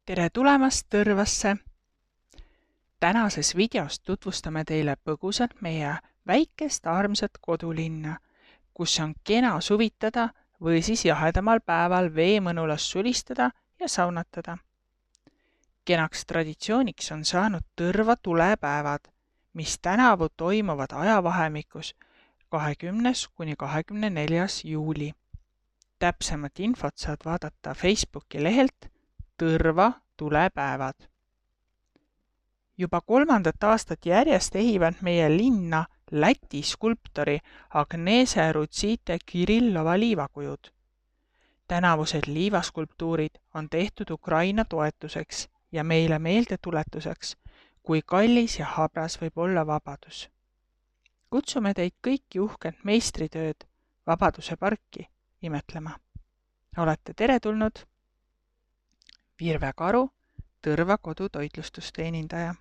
Tere tulemast Tõrvasse! Tänases videos tutvustame teile põgusalt meie väikest armsat kodulinna, kus on kena suvitada või siis jahedamal päeval veemõnulas sulistada ja saunatada. Kenaks traditsiooniks on saanud Tõrva tulepäevad, mis tänavu toimuvad ajavahemikus 20. kuni 24. juuli. Täpsemat infot saad vaadata Facebooki lehelt Tõrva tulepäevad. Juba 3. aastat järjest ehivad meie linna Läti skulptori Agnese Rutsite Kirillova liivakujud. Tänavused liivaskulptuurid on tehtud Ukraina toetuseks ja meile meeldetuletuseks, kui kallis ja habras võib olla vabadus. Kutsume teid kõiki uhket meistritööd Vabaduse parki imetlema. Olete teretulnud! Virve Karu, Tõrva kodutoitlustusteenindaja.